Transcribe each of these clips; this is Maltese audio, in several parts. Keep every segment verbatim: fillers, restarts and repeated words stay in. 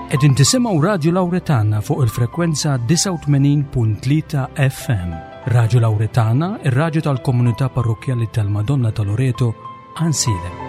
Qegħdin tisimgħu Radju Lawretana fuq il-frekwenza disgħa u tmenin punt tlieta F M. Radju Lawretana, ir-radju tal-komunità parrokkjali tal-Madonna ta' Loreto, Għajnsielem.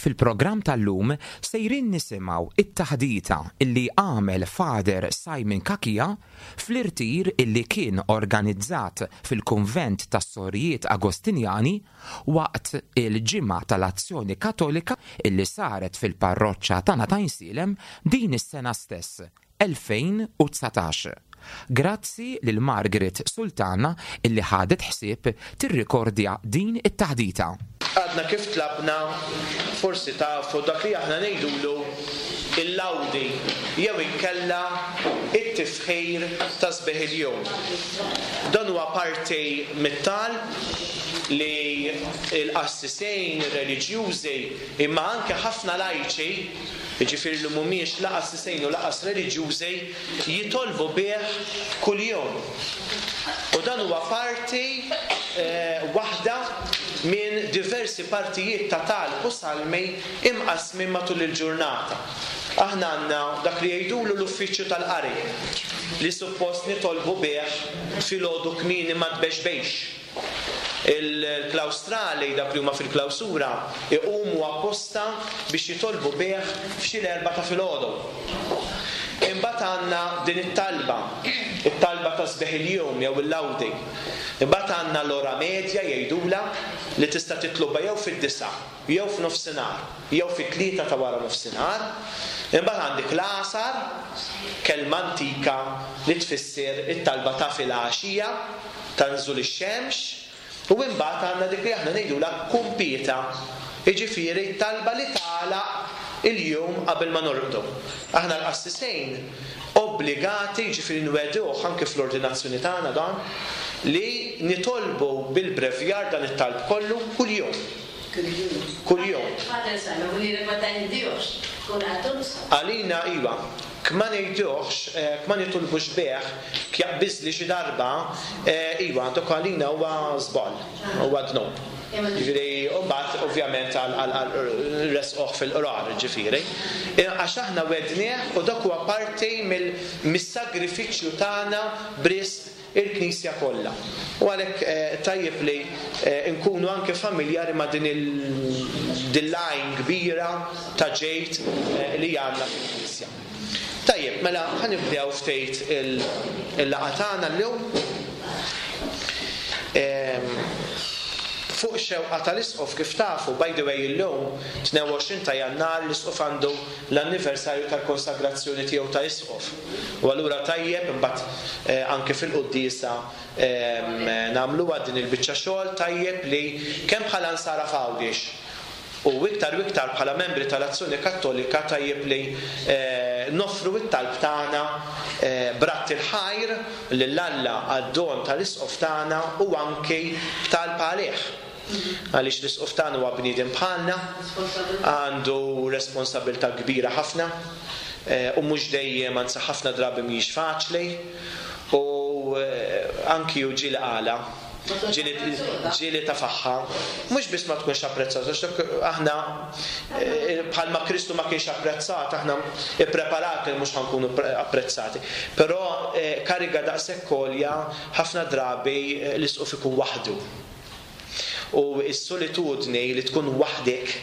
Fil-programm tal-lum sejrin nisimgħu it-taħdita illi għamel Father Simon Cachia fl-irtir illi kien organizzat fil-Kunvent tas-Sorijiet Agostinjani waqt il-Ġimgħa tal-Azzjoni Kattolika illi saret fil-parroċċa tagħna ta' Għajnsielem din is-sena stess, elfejn u dsatax. Grazzi lil Margaret Sultana illi ħadet ħsieb tirrikordja din it-taħdita. Għadna kif tlabna, forsi tafu dak li aħna ngħidulu il-lawdi jew inkella it-tifħir ta' sbieħ il-jum. Dan huwa parti mit-talb li l-qassisejn reliġjużi imma anke ħafna lajċi, jiġifieri li mhumiex la qassisejn u laqas reliġjużi, jitolbu bih kuljum. U dan huwa parti, eh, waħda minn diversi partijiet ta' talb u salmi imqasmin matul il-ġurnata. Aħna għandna dak li jgħidulu l-uffiċċju tal-qari li suppost nitolbu bih filgħodu kmieni ma tbexbejx. Il-klawstrali, dak li huma fil-klawsura, iqumu apposta biex jitolbu bih f'xi l-erba' ta' filgħodu. Imbagħad għandna din it-talba, it-talba ta' sbieħ il-jum jew il-lawdi. Imbagħad għandna l-ora medja jgħidula li tista' titlobha jew fid-disa', jew f'nofsinhar, jew fit-tlieta ta' wara nofsinhar. Imbagħad għandek l-għasar, kelma antika li tfisser it-talba ta' filgħaxija, ta' nżul ix-xemx, u imbagħad għandna dik li aħna ngħidulha kumpieta, jiġifieri talba li tagħlaq il-jum qabel ma norqdu. Aħna l-qassisejn obbligati, jiġifieri nweduh anke fl-ordinazzjoni tagħna dan, li nitolbu bil-brevjar dan it-talb kollu kuljum. Kuljum. Għalina iva, kma ngħiduhx, eh, kma nitolbux bih, kjaqbiżli xi darba, eh, iva, dok għalina huwa żball, huwa dnub. Ġifieri, u mbagħad ovvjament għal, għal, għal resqoh fil-qrar, ġifieri. Eh, għax aħna wednieh u dak huwa parti mill-, mis-sagrifiċċju tagħna b'risq il-Knisja kollha. U għalhekk, eh, tajjeb li, eh, nkunu anke familjari ma' din il-, din l-għajn kbira ta' ġejt, eh, li għandna fil-Knisja. Tajjeb, mela ħanibdew ftit il-, il-laqgħa tagħna llum. Ehm, fuq xewqa tal-Isqof kif tafu, by the way illum tnejn u għoxrin ta' Jannar l-Isqof għandu l-anniversarju tal-konsagrazzjoni tiegħu ta' Isqof. U allura tajjeb imbagħad, eh, anke fil-quddiesa, ehm, nagħmluha din il-biċċa xogħol tajjeb li kemm bħala nsara f'Għawdex u iktar u iktar bħala membri tal-Azzjoni Kattolika tajjeb li, eh, noffru t-talb tagħna, eh, bratt il-ħajr lil Alla għad-don tal-Isqof tagħna u anke b'talb għalih. Għaliex l-Isqof tagħna huwa bniedem bħalna, għandu responsabilità kbira ħafna, eh, u mhux dejjem, anzi ħafna drabi mhijiex faċli, u, eh, anki hu ġieli qala, ġieli, ġieli ta' faħħa, mhux biss ma tkunx apprezzata, għax dak aħna, eh, bħalma Kristu ma kienx apprezzat, aħna ippreparati li mhux ħankunu pre-, apprezzati. Però, eh, kariga daqshekk għolja ħafna drabi, eh, l-Isqof ikun waħdu. U s-solitudni li tkun waħdek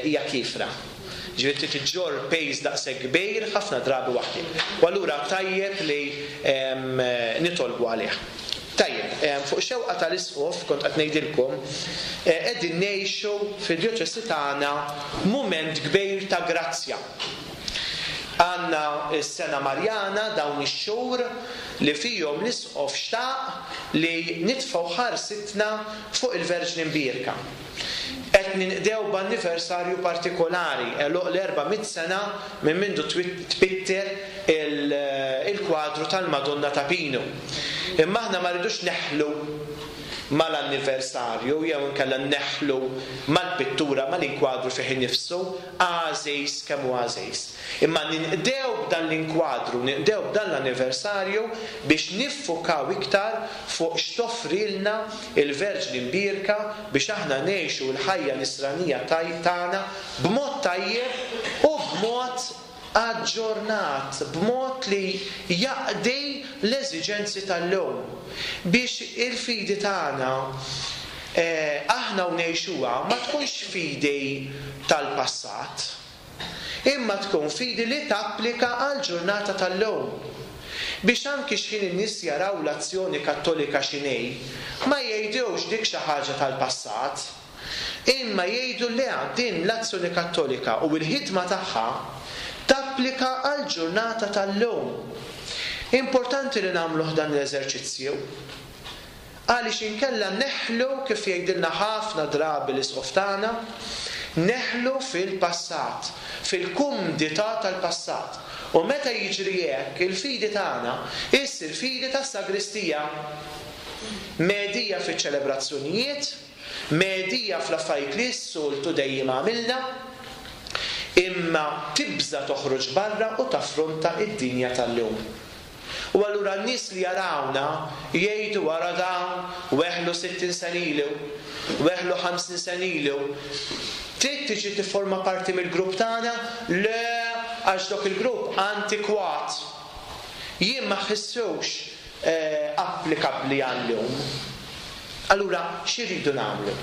hija kifra. Ġifieri trid iġġorr pejż daqshekk kbir ħafna drabi waħdek. U allura tajjeb li nitolbu għalih. Tajjeb, fuq xewqa tal-Isqof kont qed ngħidilkom, qegħdin ngħixu fid-djoċesi tagħna mument kbir ta' grazzja. Għandna s-sena Marjana dawn ix-xhur li fihom l-Isqof xtaq li nitfgħu ħarsitna fuq il-Verġni Mbierka. Qed ninqdew b'anniversarju partikolari, għeluq l-erba' mitt sena minn mindu tpitter il-kwadru tal-Madonna ta' Pinu. Imma aħna ma rridux neħlu mal-anniversarju jew inkella neħlu mal-pittura, mal-inkwadru fih innifsu, għażiż kemm hu għażiż. Imma ninqdew b'dan l-inkwadru, ninqdew b'dan l-anniversarju biex niffukaw iktar fuq x'toffrilna il-Verġni Mbierka biex aħna ngħixu l-ħajja nisranija tagħna b'mod tajjeb u b'mod aġġornat, b'mod li jaqdi l-eżiġenzi tal-lum. Biex il-fidi tagħna aħna u ngħixuha ma tkunx fidi tal-passat, imma tkun fidi li tapplika għal ġurnata tal-lum. Biex anki x'ħin in-nies jaraw l-azzjoni kattolika x'inhi, ma jgħidux dik xi ħaġa tal-passat, imma jgħidu le, din l-azzjoni kattolika u l-ħidma tagħha tapplika għal ġurnata tal-lum. Importanti li nagħmluh dan l-eżerċizzju, għaliex inkella neħlu, kif jgħidilna ħafna drabi l-Isqof tagħna, neħlu fil-passat, fil-kumdità tal-passat. U meta jiġri hekk, il-fidi tagħna issir fidi tas-sagristija, medija fiċ-ċelebrazzjonijiet, medija fl-affarijiet li s-soltu dejjem għamilna, imma tibża toħroġ barra u taffronta id-dinja tal-lum. U allura n-nies li jarawna jgħidu wara dawn weħlu sittin sena ilu, weħlu ħamsin sena ilu, trid tiġi tifforma parti mill-grupp tagħna? Le, għax dok il-grupp antikwat. Jien ma ħissux applikabbli għal-lum. Allura x'iridu nagħmlu?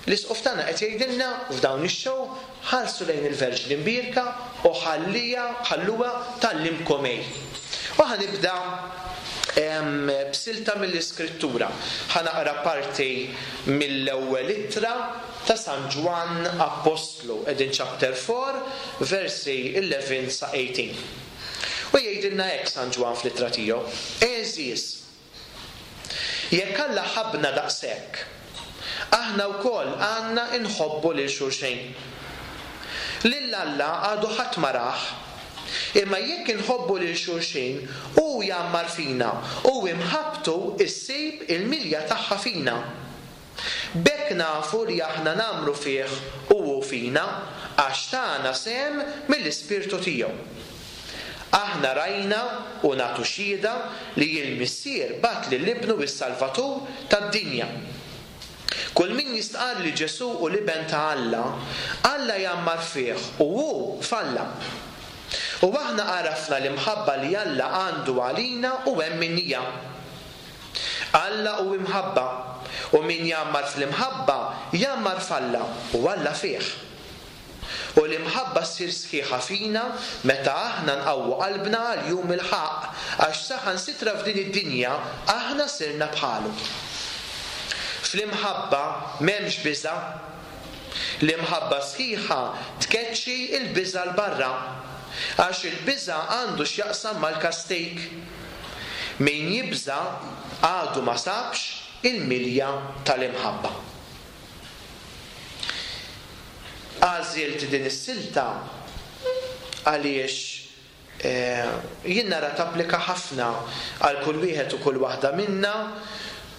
L-Isqof tagħna qed jgħidilna f'dawn ix-xhur ħarsu lejn il-Verġni Mbierka u ħallija ħalluha tgħallimkom ej. U ħanibda b'silta mill-Iskrittura. Ħanaqra parti mill-ewwel ittra ta' San Ġwann Appostlu, qegħdin chapter four, versi eleven sa eighteen. U jgħidilna hekk San Ġwann fl-ittra tiegħu: Għeżież, jekk Alla ħabbna daqshekk, aħna wkoll għandna nħobbu lil xulxin. Lil Alla għadu ħadd ma rah, imma jekk inħobbu lil xulxin, hu jgħammar fina u imħabbtu issib il-milja tagħha fina. B'hekk nafu li aħna nagħmlu fih u hu fina, għax tagħna sehem mill-Ispirtu tiegħu. Aħna rajna u nagħtu xhieda li l-Missier bagħat lil Ibnu is-Salvatur tad-dinja. Kull min jistqarr li Ġesù hu l-Iben ta' Alla, Alla jgħammar fih u hu f'Alla. U aħna għarafna l-imħabba li Alla għandu għalina u hemm minnija. Alla hu imħabba, u min jgħammar fl-imħabba jgħammar f'Alla u Alla fih. U l-imħabba ssir sħiħa fina meta aħna nqawwu qalbna għal jum il-ħaqq, għax saħansitra f'din id-dinja aħna sirna bħalu. Fl-imħabba m'hemmx biża'. L-imħabba sħiħa tkeċċi l-biża' 'l barra, għax il-biża' għandu x'jaqsam mal-kastik. Min jibża' għadu ma sabx il-milja tal-imħabba. Għażilt din is-silta għaliex jien nara tapplika ħafna għal kull wieħed u kull waħda minna,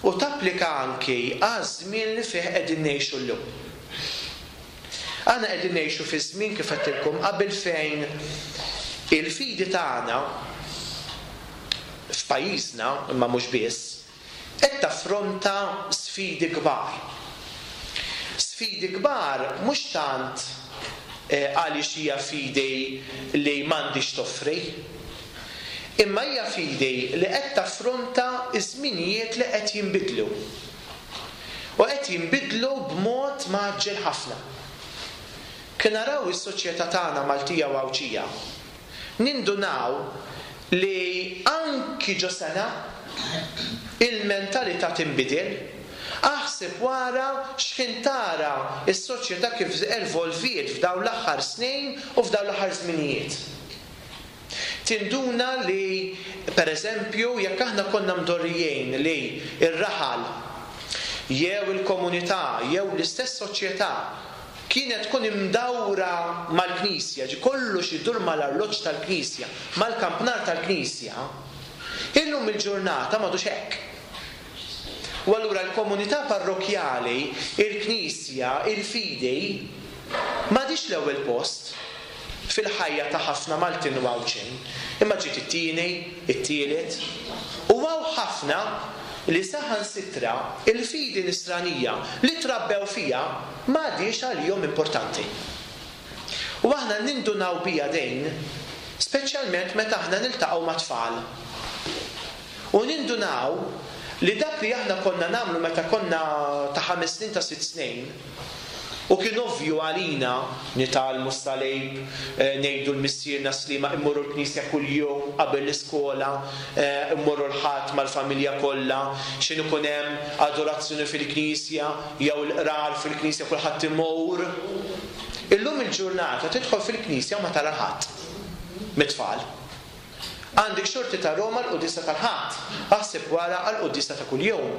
u tapplika anki għaż-żmien li fih qegħdin ngħixu llum. Aħna qegħdin ngħixu fi żmien, kif għedtilkom qabel, fejn il-fidi tagħna f'pajjiżna, imma mhux biss, qed taffronta sfidi kbar. Sfidi kbar mhux tant għaliex hija fidi li m'għandix toffri, imma hija fidi li qed taffronta ż-żminijiet li qed jinbidlu. U qed jinbidlu b'mod mgħaġġel ħafna. Kien naraw is-soċjetà tagħna Maltija u Għawdxija, nindunaw li anki ġo sena il-mentalità tinbidel. Aħseb wara x'ħin tara s-soċjetà kif evolviet f'dawn l-aħħar snin u f'dawn l-aħħar żminijiet. Tinduna li, per eżempju, jekk aħna konna mdorrijin li r-raħal jew il-komunità jew l-istess soċjetà kienet tkun imdawra mal-Knisja, ġi kollox idur mal-arloġġ tal-Knisja, mal-kampnar tal-Knisja, illum il-ġurnata m'għadux hekk. U allura l-komunità parrokjali, il-Knisja, il-fidi, m'għadix l-ewwel post fil-ħajja ta' ħafna Maltin u Għawdxin, imma ġiet it-tieni, it-tielet, u hawn ħafna li saħansitra il-fidi nisranija li trabbew fija m'għadix għalihom importanti. U aħna nindunaw bija dejn, speċjalment meta aħna niltaqgħu ma' tfal. U nindunaw li dak li aħna konna nagħmlu meta konna ta' ħames snin, ta' sitt snin, u kien ovvju għalina nitgħallmu s-salib, eh, ngħidu l-Missierna Slima, immorru l-knisja kuljum qabel l-iskola, eh, immorru l-Ħadd mal-familja kollha, x'inhu ikun hemm adorazzjoni fil-knisja jew l-qrar fil-knisja kulħadd imur. Illum il-ġurnata tidħol fil-knisja u ma tara ħadd mit-tfal. Għandek xorti ta' Roma l-quddiesa tal-Ħadd, aħseb wara għall-quddiesa ta' kuljum.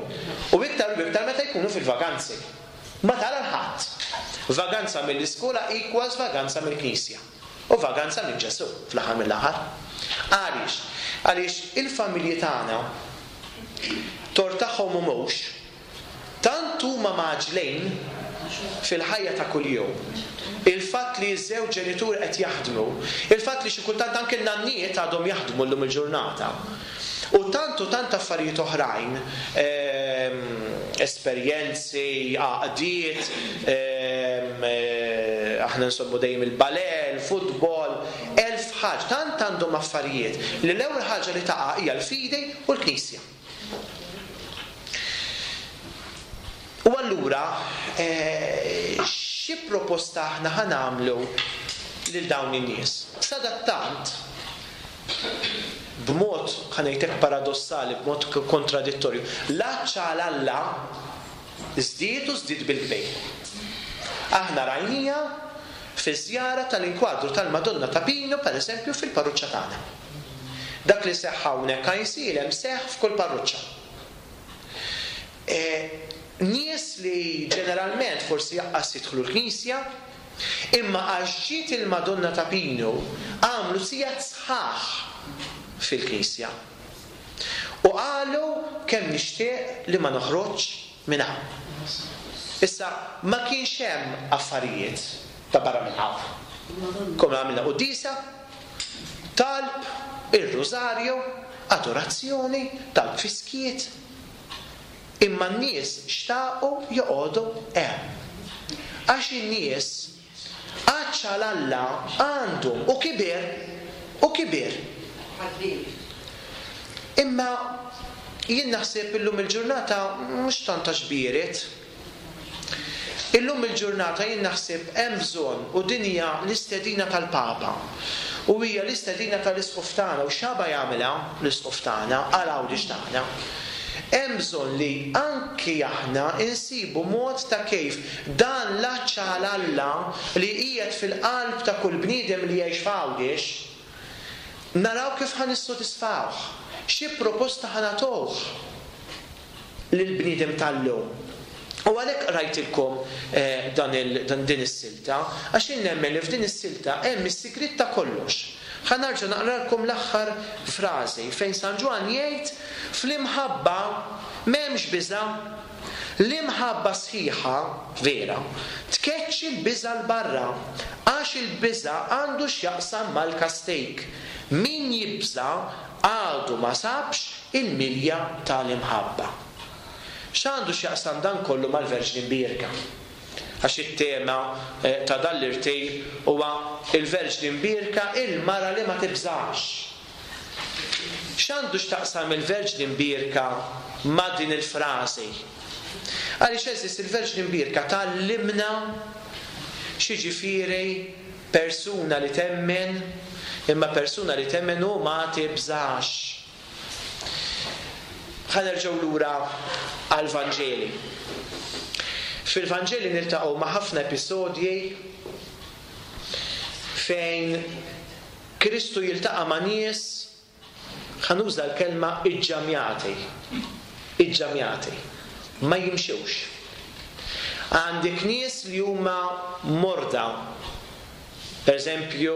U iktar u iktar meta jkunu fil-vaganzi. Ma tara l-ħadd. Vaganza mill-iskola equals vaganza mill-knisja. U vaganza minn Ġesù fl-aħħar mill-aħħar. Għaliex? Għaliex il-familji tagħna tort tagħhom u mhux, tant huma mgħaġġlin fil-ħajja ta' kuljum. Il-fatt li ż-żewġ ġenituri qed jaħdmu, il-fatt li xi kultant anke n-nannijiet għadhom jaħdmu llum il-ġurnata. U tant u tant affarijiet oħrajn, ehm, esperjenzi, għaqdiet, ehm, eh, aħna nsommu dejjem il-ballet, il-futbol, elf ħaġa, tant għandhom affarijiet li l-ewwel ħaġa li taqa' hija l-fidi u l-Knisja. U allura, eh, xi proposta aħna ħa nagħmlu lil dawn in-nies? Sadattant, b'mod, ħa ngħidlek paradossali, b'mod kontradittorju, l-għatx għal Alla żdied u żdied bil-kbir. Aħna rajnija fi żjara tal-inkwadru tal-Madonna ta' Pinu, per eżempju, fil-parruċċa tagħna. Dak li seħħ hawnhekk Għajnsielem seħħ f'kull parruċċa. E, nies li ġeneralment forsi jaqqas jidħlu l-knisja, imma għax ġiet il-Madonna ta' Pinu għamlu sigħat sħaħ fil-knisja. U qalu kemm nixtieq li ma noħroġx minn hawn. Issa ma kienx hemm affarijiet ta' barra minn hawn. Kom għamilna quddiesa, talb, ir-rużarju, adorazzjoni, talb fiskiet. Imma n-nies xtaqu joqogħdu hemm. Għax in-nies għatx għal Alla għandhom u kiber u kiber. Imma jien naħseb illum il-ġurnata mhux tant għax biret. Illum il-ġurnata jien naħseb hemm bżonn, u din hija l-istedina tal-Papa u hija l-istedina tal-Isqof tagħna, u x'għaba jagħmilha l-Isqof tagħna għal Għawdex tagħna. Hemm bżonn li anki aħna insibu mod ta' kif dan l-għatx għal Alla li qiegħed fil-qalb ta' kull bniedem li jgħix f'Għawdex, naraw kif ħa nissodisfawh, xi proposta ħa nagħtuh lill-bniedem tal-lum. U għalhekk rajtilkom, eh, dan il-, dan din is-silta, għax jien nemmen li f'din is-silta hemm is-sigriet ta' kollox. Ħa nerġa' naqralkom l-aħħar frażi fejn San Ġwann jgħid fl-imħabba m'hemmx biża', l-imħabba sħiħa vera tkeċċi l-biża' l barra, għax il-biża' għandu x'jaqsam mal-kastig. Min jibża' għadu ma sabx il-milja tal-imħabba. X'għandu x'jaqsam dan kollu mal-Verġni Mbierka? Għax it-tema, eh, ta' dan l-irtir huwa il-Verġni Mbierka, il-mara li ma tibżax. X'għandu x'taqsam il-Verġni Mbierka ma' din il-frażi? Għaliex, għeżież, il-Verġni Mbierka tgħallimna x'jiġifieri persuna li temmen, imma persuna li temmen u ma tibżax. Ħa nerġgħu lura għall-Vanġeli. Fil-Vanġeli niltaqgħu ma' ħafna episodji fejn Kristu jiltaqa' ma' nies, ħa nuża l-kelma iġġamjati. Iġġamjati. Ma jimxewx. Għandek nies li huma morda. Per eżempju,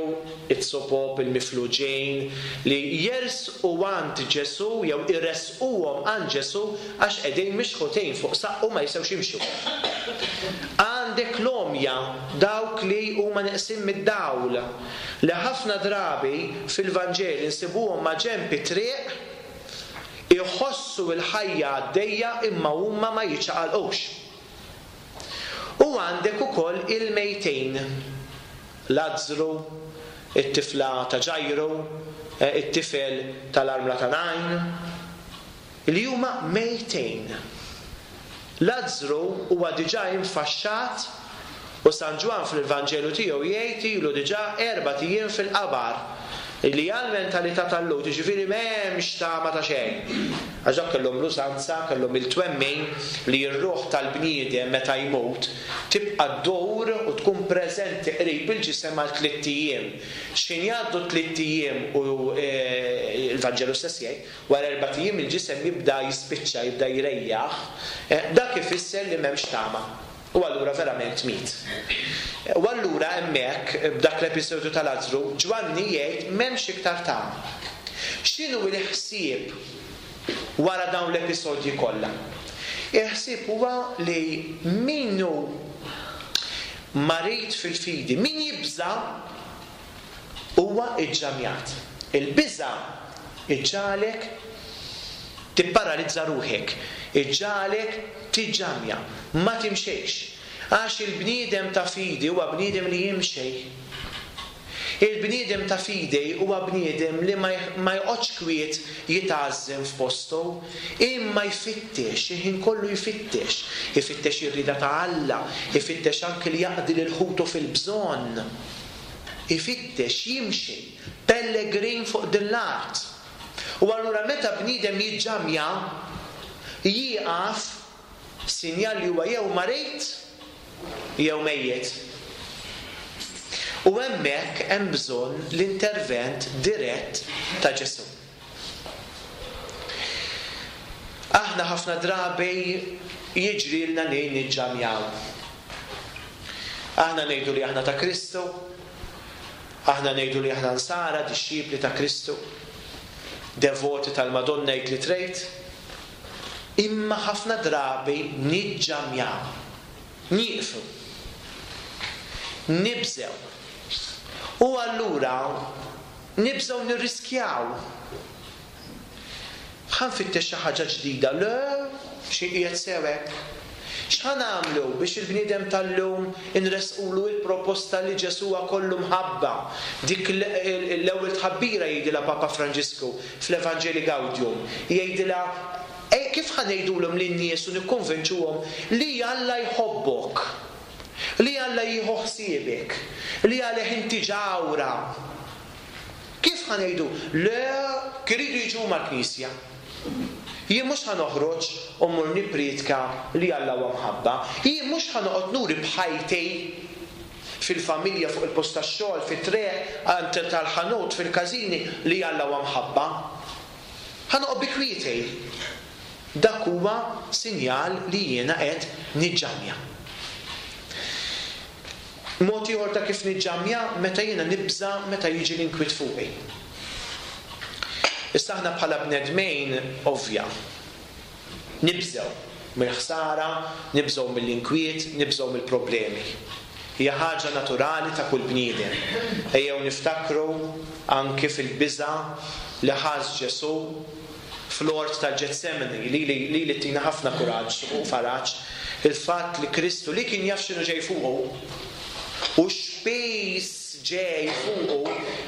it-sopop, il-mifluġejn, li jersqu għand Ġesu jew iressquhom għand Ġesu għax qegħdin mixħutejn fuq saqqu, ma jistgħux jimxu. Għandek l-għomja, dawk li huma neqsin mid-dawl, li ħafna drabi fil-Vanġeli nsibuhom ma' ġenb it-triq, iħossu l-ħajja għaddejja imma huma ma jiċċaqalqux. U għandek ukoll il-mejtin. Lazzru, it-tifla ta' Ġajru, it-tifel tal-armla ta' Najn, li huma mejtejn. Lazzru huwa diġà infaxxat u San Ġwann fil-Vanġelu tiegħu jgħid ilu diġà erbat ijiem fil-qabar, li għal mentalità tal-Lhud, jiġifieri m'hemmx tama ta' xejn. Għax dak kellhom l-użanza, kellhom il-twemmin li r-ruħ tal-bniedem meta jmut tibqa' ddur u tkun preżenti qrib il-ġisem għal tliet ijiem. X'ħin jgħaddu tliet ijiem u l-Vanġelu stess jgħid, wara erbat ijiem il-ġisem jibda jispiċċa, jibda jrejjaħ, dak ifisser li m'hemmx tama. U allura verament miet. U allura hemmhekk b'dak l-episodju ta' Lazzru, Ġwanni jgħid m'hemmx iktar tama. X'inhu l-ħsieb wara dawn l-episodji kollha? Il-ħsieb huwa li min hu marid fil-fidi, min jibża' huwa iġġamjat. Il-biża' iġġagħlek tipparalizza ruħek, iġġagħlek tiġġamja, ma timxejx. Għax il-bniedem ta' fidi huwa bniedem li jimxej. Il-bniedem ta' fidi huwa bniedem li ma joqgħodx kwiet jitgħażżem f'postu, imma jfittex, il-ħin kollu jfittex. Ifittex ir-rieda ta' Alla, ifittex anke li jaqdi lil ħutu fil-bżonn. Ifittex, jimxi, pellegrin fuq din l-art. U allura meta bniedem jiġġamja, jieqaf, sinjal li huwa jew marid jew mejjet. U hemmhekk hemm bżonn l-intervent dirett ta' Ġesù. Aħna ħafna drabi jiġrilna li niġġamjaw. Aħna ngħidu li aħna ta' Kristu, aħna ngħidu li aħna nsara, dixxipli ta' Kristu, devoti tal-Madonna jgħid li trejt, imma ħafna drabi niġġamjaw, nieqfu, nibżew. U allura nibżew nirriskjaw. Ħa nfittex xi ħaġa ġdida, le, xi qiegħed sew hekk. X'ħa nagħmlu biex il-bniedem tal-lum inresqulu il-proposta li Ġesù huwa kollu mħabba? Dik l-ewwel tħabbira jgħidilha Papa Franġisku fl-Evanġeli Gaudium. Jgħidilha, kif ħa ngħidulhom lin-nies u nikkonvinċuhom li Alla jħobbok, li Alla jieħu ħsiebek, li għalih inti ġawra? Kif ħa ngħidu? Le, kiridu jiġu mal-Knisja. Jien mhux ħa noħroġ u mmur nippriedka li Alla huwa mħabba. Jien mhux ħa noqgħod nuri b'ħajti fil-familja, fuq il-post tax-xogħol, fit-triq, għand tal-ħanut, fil-każini li Alla huwa mħabba. Ħa noqgħod bi kwieti. Dak huwa sinjal li jiena qed niġġamja. Mod ieħor ta' kif niġġamja meta jiena nibża' meta jiġi l-inkwiet fuqi. Issa aħna bħala bnedmejn ovvja nibżgħu mill-ħsara, nibżgħu mill-inkwiet, nibżgħu mill-problemi. Hija ħaġa naturali ta' kull bniedem. Ejjew niftakru anke fil-biża' li ħass Ġesù fl-ort tal-Ġetsemani, li, li, li, li tina ħafna kuraġġ u faraġ, il-fatt li Kristu li kien jaf x'inhu ġej fuqu u x'piż ġej fuqu,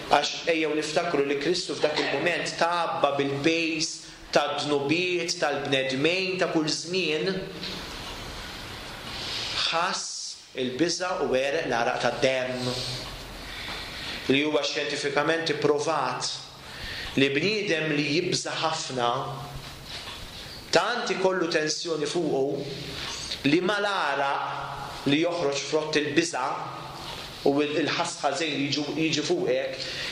għax ejjew niftakru li Kristu f'dak il-mument tgħabba bil-piż tad-dnubiet tal-bnedmejn ta' kull żmien, Ħass il-biża' u għereq l-għaraq tad-demm. Li huwa xjentifikament ipprovat li bniedem li jibża' ħafna tant ikollu tensjoni fuqu li mal-għaraq li joħroġ frott il-biża' u il-ħass ħażin li jiġi fuqek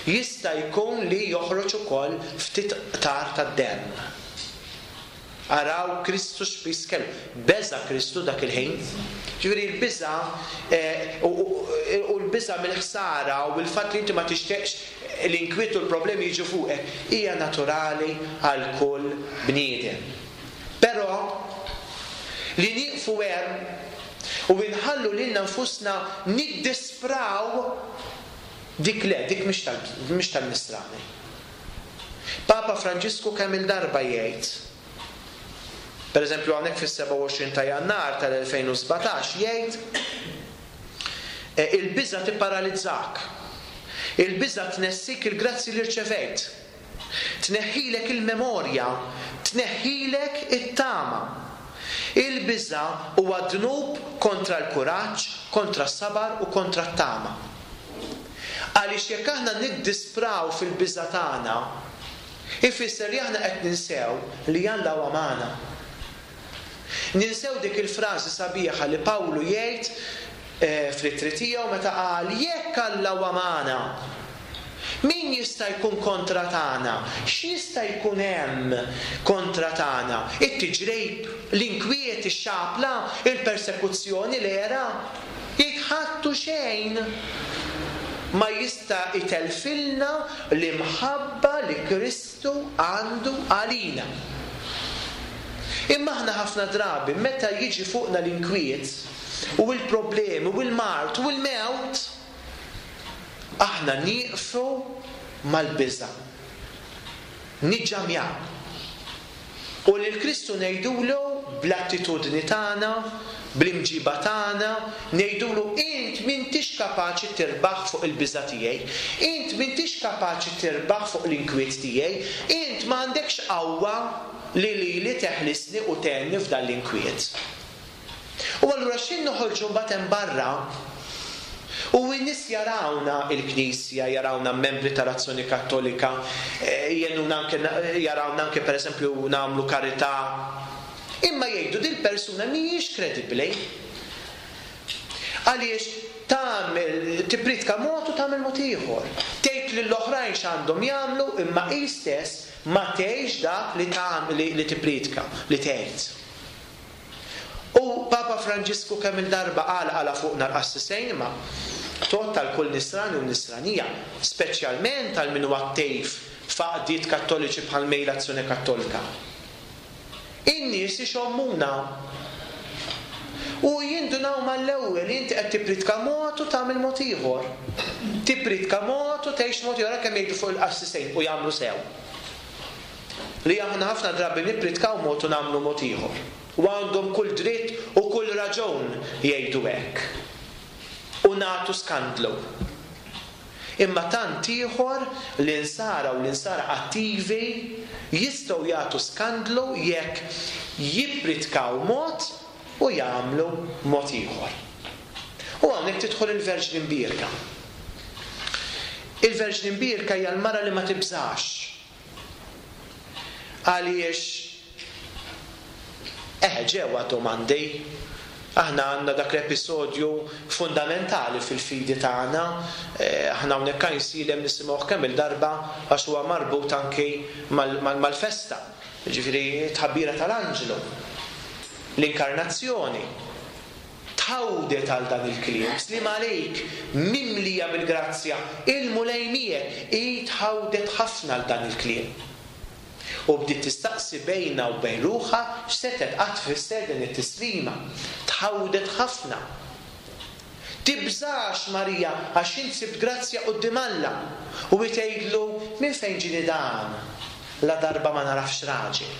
jista' jkun li joħroġ ukoll ftit qtar tad-demm. Araw Kristu x'piż kellu. Beża' Kristu dak il-ħin. Ġifieri l-biża' u l-biża' mill-ħsara u l-fatt li inti ma tixtieqx l-inkwiet u l-problemi jiġu fuqek hija naturali għal kull bniedem. Però li nieqfu hemm u nħallu lilna nfusna niddispraw, dik le, dik mhix tal-Nisrani. Papa Franġisku kemm il-darba jgħid, per eżempju hawnhekk fis-sebgħa u għoxrin ta' Jannar tal-elfejn u sbatax jgħid il-biża' tipparalizzak, il-biża' tnessik il-grazzi li rċevejt, tneħħilek il-memorja, tneħħilek it-tama. Il-biża' huwa dnub kontra l-kuraġġ, kontra s-sabar u kontra t-tama. Għaliex jekk aħna niddispraw fil-biża' tagħna, ifisser li aħna qed ninsew li Alla huwa magħna. Ninsew dik il-frażi sabiħa li Pawlu jgħid fl-ittri tiegħu meta qal jekk Alla huwa magħna, min jista' jkun kontra tagħna? X'jista' jkun hemm kontra tagħna? It-tiġrib, l-inkwiet, ix-xapla, il-persekuzzjoni, l-era? Jekk ħattu xejn ma jista' itelfilna l-imħabba li Kristu għandu għalina. Imma aħna ħafna drabi meta jiġi fuqna l-inkwiet u l-problemi u l-mard u l-mewt, aħna nieqfu mal-biża', niġġamjaw. U lil Kristu ngħidulu bl-attitudni tagħna, bl-imġiba tagħna, ngħidulu int m'intix kapaċi tirbaħ fuq il-biża' tiegħi, int m'intix kapaċi tirbaħ fuq l-inkwiet tiegħi, int m'għandekx qawwa li lili teħlisni u tgħinni f'dan l-inkwiet. U allura x'in noħorġu mbagħad hemm barra u n-nies jarawna il-Knisja, jarawna membri tal-Azzjoni Kattolika, jgħinuna anke, jarawna anke pereżempju nagħmlu karità, imma jgħidu din persuna mhijiex kredibbli. Għaliex tagħmel tippritka mod u tagħmel mod ieħor. Tgħid lill-oħrajn x'għandhom jagħmlu imma hi stess ma tgħix dak li tagħmel, li tippritka, li tgħid. U Papa Franġisku kemm il-darba qal għala fuqna l-qassisejn, imma tot tal kull nisrani u nisranija, speċjalment għal min huwa attiv f'għaqdiet kattoliċi bħal mejl Azzjoni Kattolika. In-nies ixommuna u jindunaw mal-ewwel li inti qed tippritka mod u tagħmel mod ieħor. Tippritka mod u tgħix mod ieħor, kemm jgħidu fuq il-qassisejn u jagħmlu sew. Li aħna ħafna drabi nippritkaw mod u nagħmlu mod ieħor. U għandhom kull dritt u kull raġun jgħidu hekk. U nagħtu skandlu. Imma tant ieħor l-insara u l-insara attivi jistgħu jagħtu skandlu jekk jippritkaw mod u jagħmlu mod ieħor. U hawnhekk tidħol il-Verġni Mbierka. Il-Verġni Mbierka hija l-mara li ma tibżax. Għaliex eh ġewwa domandi. Aħna għandna dak l-episodju fundamentali fil-fidi tagħna, aħna hawnhekk Għajnsielem nisimgħuh kemm il-darba għax huwa marbut anki mal-festa, jiġifieri tħabbira tal-anġlu, l-inkarnazzjoni. Tħawdet għal dan il-kliem, slim għalik, mimlija bil-grazzja, il-Mulej miegħek, hi tħawdet ħafna għal dan il-kliem. U bdiet tistaqsi bejna u bejn ruħha x'setet qatt tfisser din it-tislima. Tħawdet ħafna. Tibżax Marija għax int sibt grazzja quddiem Alla. U hi tgħidlu minn fejn ġieni dan la darba ma narafx raġel.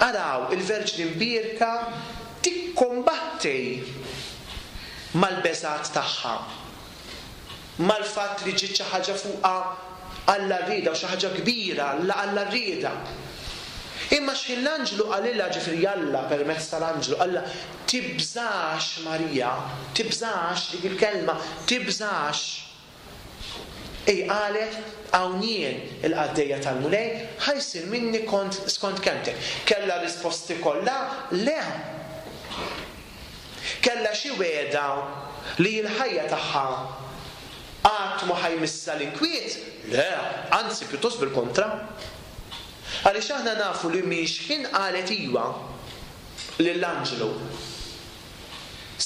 Araw il-Verġni Mbierka tikkombatti mal-beżat tagħha, mal-fatt li ġiet xi ħaġa fuqha Alla rrieda u xi ħaġa kbira Alla rrieda. Imma x'ħin l-anġlu qalilha, ġifieri Alla permezz tal-anġlu qalilha, tibżax Marija, tibżax, dik il-kelma, tibżax. Ej qalet, hawn jien il-qaddejja tal-Mulej, ħa jsir minni kont skont kelmtek. Kellha risposti kollha? Le. Kellha xi wegħda li l-ħajja tagħha qatt ma ħa jmissha l-inkwiet? Le, anzi pjuttost bil-kontra. Għaliex aħna nafu li minn x'ħin qalet iwa lill-anġlu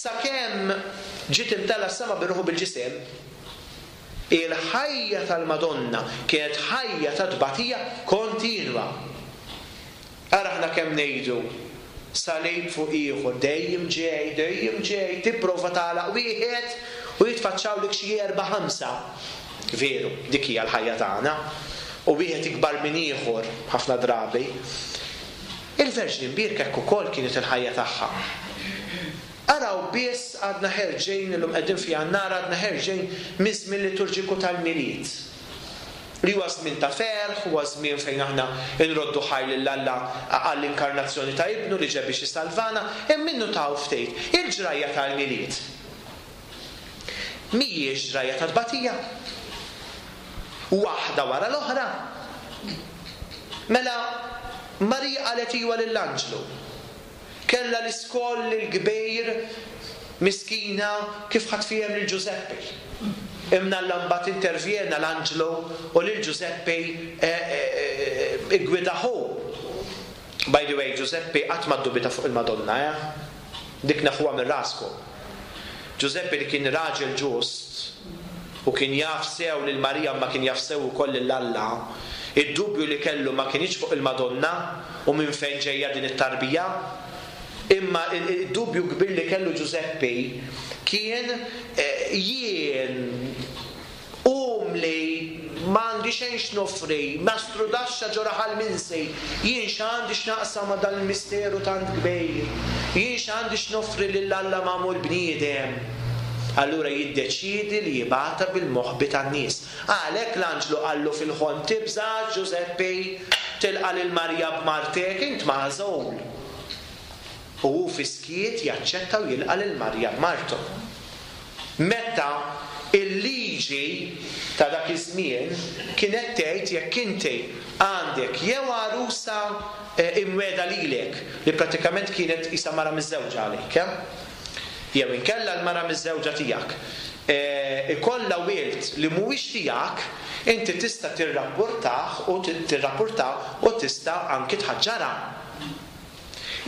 sakemm ġiet imtella s-sema bir-ruħ u bil-ġisem, il-ħajja tal-Madonna kienet ħajja ta' tbatija kontinwa. Ara aħna kemm ngħidu salib fuq ieħor, dejjem ġej, dejjem ġej, tipprova tagħlaq wieħed u jitfaċċawlek xi erba' ħamsa. Veru, dik hija l-ħajja tagħna. U wieħed ikbar minn ieħor ħafna drabi. Il-Verġni Mbierka hekk ukoll kienet il-ħajja tagħha. Araw biss għadna ħerġejn, illum qegħdin fi Jannar, għadna ħerġejn miż-żmien liturġiku tal-Milied. Li huwa żmien ta' ferħ, huwa żmien fejn aħna nroddu ħaj lil Alla għall-inkarnazzjoni ta' Ibnu li ġie biex jisalvana, hemm minnu taw ftit. Il-ġrajja tal-Milied mhijiex ġrajja ta' tbatija. Waħda wara l-oħra. Mela Marija qalet iwa lill-anġlu. Kellha l-iskoll il-kbir miskina kif ħadd fihem lil Ġużeppi. Imma Alla mbagħad intervjena l-anġlu u lil Ġużeppi iggwidahu. By the way, Ġużeppi qatt ma ddubita fuq il-Madonna, eh? Dik nafuha minn raskom. Ġużeppi li kien raġel ġust u kien jaf sew lil Marija ma kien jaf sew ukoll lil Alla, id-dubju li kellu ma kienx fuq il-Madonna u minn fejn ġejja din it-tarbija, imma id-dubju kbir li kellu Ġużeppi kien jien umli, m'għandi xejn x'noffri, mastrudaxxa ġo raħal minsi, jien x'għandi x'naqsam ma' dan il-misteru tant kbir, jien x'għandi x'noffri lil Alla magħmul bniedem. Allura jiddeċiedi li jibgħatha bil-moħbi tan-nies. Għalhekk l-anġlu qallu fil-ħolm, tibżax Ġużeppi, tilqa' lil Marija b'martek, int magħżul. U hu fiskiet jaċċetta u jilqa' lil Marija b'martu. Meta il-liġi ta' dak iż-żmien kienet tgħid jekk inti għandek jew għarusa imweda lilek, li pratikament kienet isa mara miżżewġa għalik, jew inkella l-mara miżżewġa tiegħek, ikollha wild li mhuwiex tiegħek, inti tista' tirrapportah u tirrapportah u tista' anki tħaġġarha.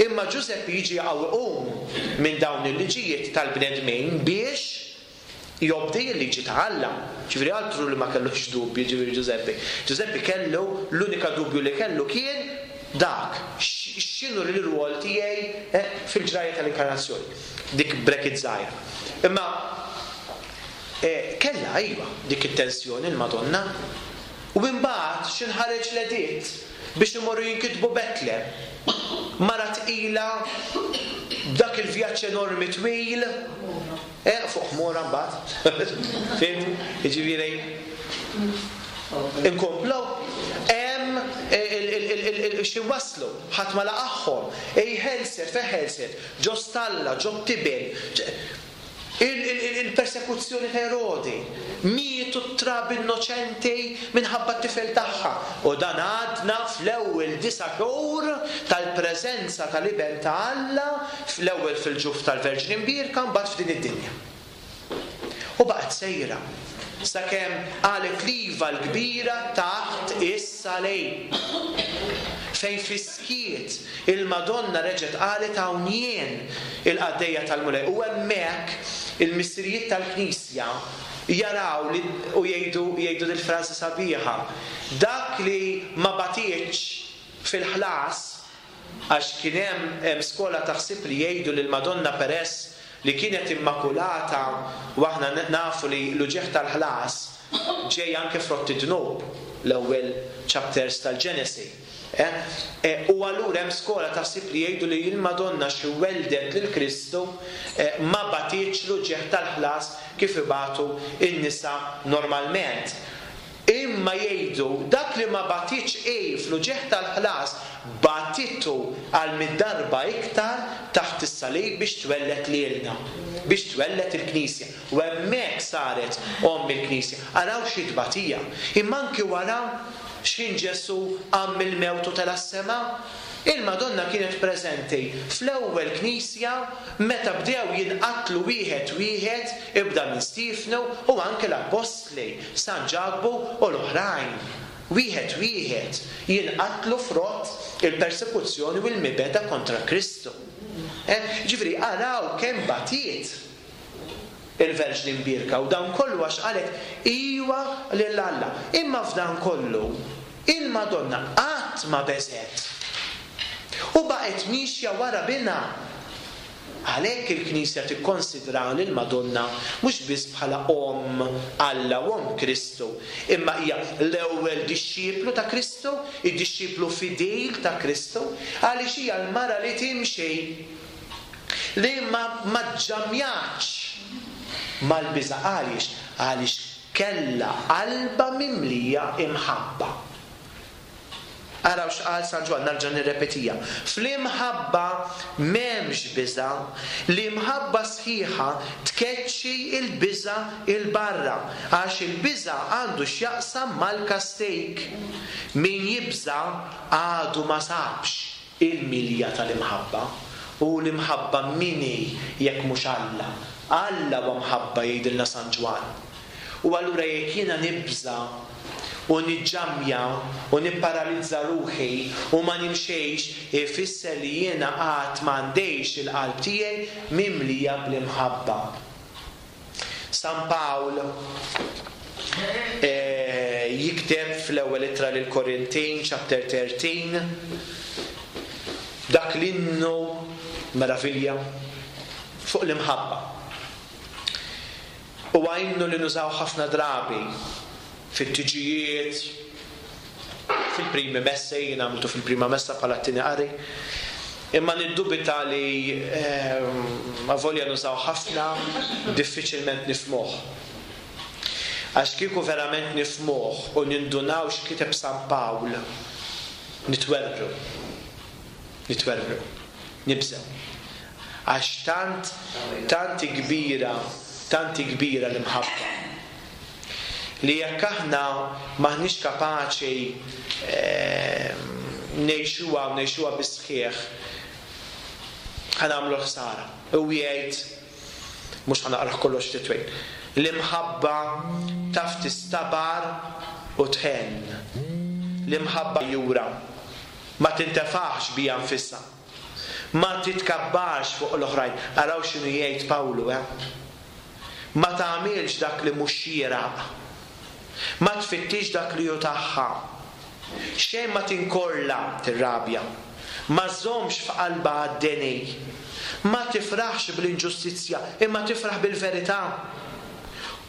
Imma Ġużeppi jiġi jqawwim minn dawn il-liġijiet tal-bnedmin biex jobdi l-liġi ta' Alla. Ġifieri altru li ma kellux dubju, ġifieri Ġużeppi. Ġużeppi kellu, l-unika dubju li kellu kien dak, x'inhu l-rwol tiegħi fil-ġrajja tal-inkarnazzjoni. Dik bracket żgħira. Imma kellha iva dik it-tensjoni l-Madonna. U imbagħad x'inħareġ l-editt biex imorru jinkitbu Betlem. Mara tqila b'dak il-vjaġġ enormi twil, eh, fuq ħmura mbagħad. Fim? Jiġifieri inkomplu hemm xi waslu, ħadd ma laqagħhom, ej ħelset, fejn ħelset, ġo stalla, ġo tiben. Il-persekuzzjoni ta' Erodi, mietu t-trab innoċenti minħabba t-tifel tagħha. U dan għadna fl-ewwel disa' xhur tal-preżenza tal-Iben ta' Alla, fl-ewwel fil-ġuf tal-Verġni Mbierka, mbagħad f'din id-dinja. U baqgħet sejra sakemm qalet l-iva l-kbira taħt is-salib. Fejn fiskiet il-Madonna reġgħet qalet hawn jien il-qaddejja tal-Mulej. U hemmhekk il-missirijiet tal-Knisja jaraw li, u jgħidu jgħidu dil-frażi sabiħa, dak li ma batietx fil-ħlas, għax kien hemm skola taħsib li jgħidu lil Madonna peress li kienet immakulata, u aħna nafu li l-uġigħ tal-ħlas ġej anke frott id-dnub, l-ewwel chapters tal-Ġenesi. Eh? Eh, u allura hemm skola taħsib li jgħidu li l-Madonna xi weldet lil Kristu eh, ma batietx l-uġigħ tal-ħlas kif ibatu n-nisa normalment. Imma jgħidu dak li ma batitx hi fl-uġigħ tal-ħlas, batitu għal mitt darba iktar taħt is-salib biex twellet lilna, biex twellet il-Knisja. U hemmhekk saret omm il-Knisja. Araw xi tbatija. Imma anki wara x'ħin Ġesù qam mill-mewt u tela' s-sema, il-Madonna kienet preżenti fl-ewwel Knisja meta bdew jinqatlu wieħed wieħed, ibda minn Stiefnu u anke l-Appostli, San Ġakbu u l-oħrajn. Wieħed wieħed jinqatlu frott il-persekuzzjoni u l-mibegħda kontra Kristu. Ġifieri araw kemm batiet il-Verġni Mbierka, u dan kollu għax qalet iwa lil Alla. Imma f'dan kollu il-Madonna qatt ma beżgħet u baqgħet miexja wara binha. Għalhekk il-Knisja tikkonsidra lill-Madonna mhux biss bħala omm Alla u omm Kristu, imma hija l-ewwel dixxiplu ta' Kristu, id-dixxiplu fidil ta' Kristu, għaliex hija l-mara li timxi, li ma ma ġġamjatx mal-biża'. Għaliex? Għaliex kellha qalba mimlija imħabba. Araw x'qal San Ġwann, nerġa' nirrepetija. Fl-imħabba m'hemmx biża', l-imħabba sħiħa tkeċċi l-biża' 'il barra, għax il-biża' għandu x'jaqsam mal-kastig. Min jibża' għadu ma sabx il-milja tal-imħabba. U l-imħabba min hi jekk mhux Alla? Alla huwa mħabba, jgħidilna San Ġwann. U allura jekk jiena nibża' u niġġamja u nipparalizza ruħi u ma nimxejx, ifisser li jiena qatt m'għandejx il-qalb tiegħi mimlija bl-imħabba. San Pawl eh, jikteb fl-ewwel ittra lil Korintin, chapter thirteen, dak l-innu meravilja fuq l-imħabba. Huwa innu li nużaw ħafna drabi fit-tiġijiet, fil-primi messa, jien għamiltu fil-prima messa bħala t-tieni qari. Imma niddubita li avolja nużaw ħafna, diffiċilment nifhmuh. Għax kieku verament nifhmuh u nindunaw x'kiteb San Pawl, nitwerwru. Nitwerwru. Nibżgħu. Għax tant, tant kbira, tant kbira l-imħabba. Li jekk aħna maħniex kapaċi ngħixuha u ngħixuha bis-sħiħ, ħa nagħmlu ħsara. U jgħid, mhux ħa naqrah kollox titwejn, l-imħabba taf tistabar u tħenn. L-imħabba jura ma tintefaħx bija nfisha, ma titkabbarx fuq l-oħrajn. Araw x'inhu jgħid Pawlu, eh? Ma tagħmilx dak li mhux xieraq, ma tfittix dak li hu tagħha, xejn ma tinkorla tirrabja, ma żommx f'qalbha għad-deni, ma tifraħx bl-inġustizzja, imma tifraħ bil-verità.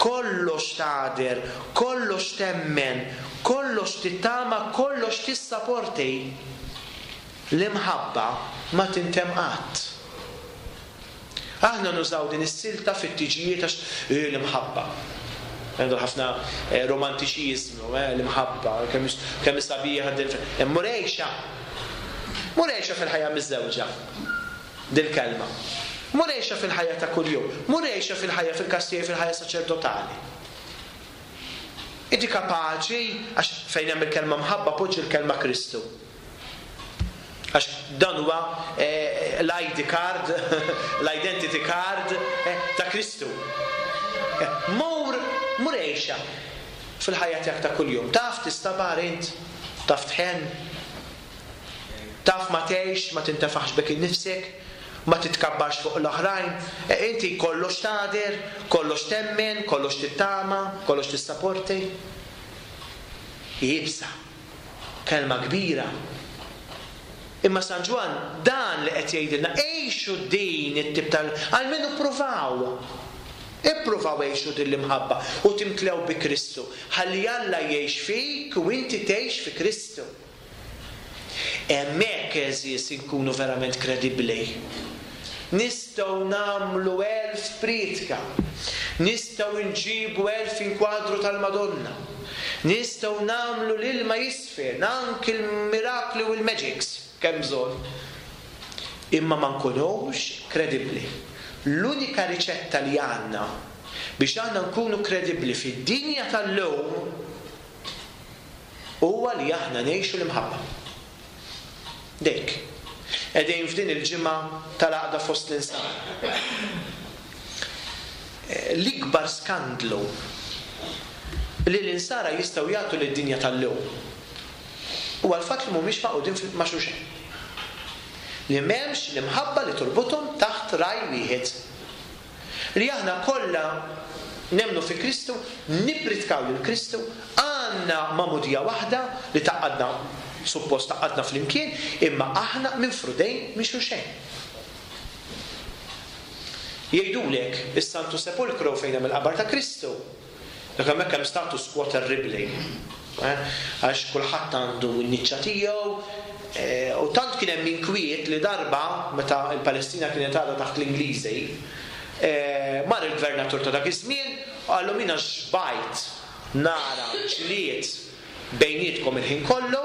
Kollox tagħder, kollox temmen, kollox tittama, kollox tissaporti. L-imħabba ma tintemm qatt. Aħna nużaw din is-silta fit-tiġijiet għax l-imħabba. Għandu ħafna romantiċiżmu, l-imħabba, kemm sabiħa din. Murejxa. Murejxa fil-ħajja miżżewġa. Dil-kelma. Murejxa fil-ħajja ta' kuljum. Murejxa fil-ħajja fil-kastijiet, fil-ħajja saċerdotali. Inti kapaċi, għax fejn hemm il-kelma mħabba poġġi l-kelma Kristu. Għax dan huwa l-I D card, l-identity card ta' Kristu. Mur, murejxa fil-ħajja tiegħek ta' kuljum. Taf tistabar int, taf tħenn, taf ma tgħix, ma tintefaħx bek innifsek, ma titkabbarx fuq l-oħrajn. Inti kollox tagħder, kollox temmen, kollox tittama, kollox tissaporti. Iebsa, kelma kbira. Imma San Ġwann dan li qed jgħidilna, għixu din it-tip tal, almenu ppruvaw. Ippruvaw għixu din l-imħabba u timtlew bi Kristu. Ħalli Alla jgħix fik u inti tgħix fi Kristu. Hemmhekk, għeżież, inkunu verament kredibbli. Nistgħu nagħmlu elf prietka, nistgħu nġibu elf inkwadru tal-Madonna, Nistgħu nagħmlu l-ilma jisfer, anki l-mirakli u l-magics, kemm bżonn. Imma ma nkunux kredibbli. L-unika riċetta li għandna biex aħna nkunu kredibbli fid-dinja tal-lum huwa li aħna ngħixu l-imħabba. Dejk. Qegħdin f'din il-ġimgħa tal-għaqda fost l-insara. L-ikbar skandlu li l-insara jistgħu jagħtu lid-dinja tal-lum huwa l-fatt li mhumiex magħqudin ma' xulxin. Li m'hemmx l-imħabba li turbuthom taħt raj wieħed. Li aħna kollha nemmnu fi Kristu, nippritkaw lil Kristu, għandna magħmudija waħda li tgħaqqadna, suppost tgħaqqadna flimkien, imma aħna minfrudejn minn xulxejn. Jgħidulek is-Santu Sepulkru fejn hemm il-qabar ta' Kristu. Dak hemmhekk hemm status quo terribbli. Għax kulħadd għandu n-niċċa tiegħu, u tant kien hemm inkwiet li darba meta l-Palestina kienet għadha taħt l-Ingliżi, mar il-gvernatur ta' dak iż-żmien u qallu jiena xbajt nara ġlied bejnietkom il-ħin kollu,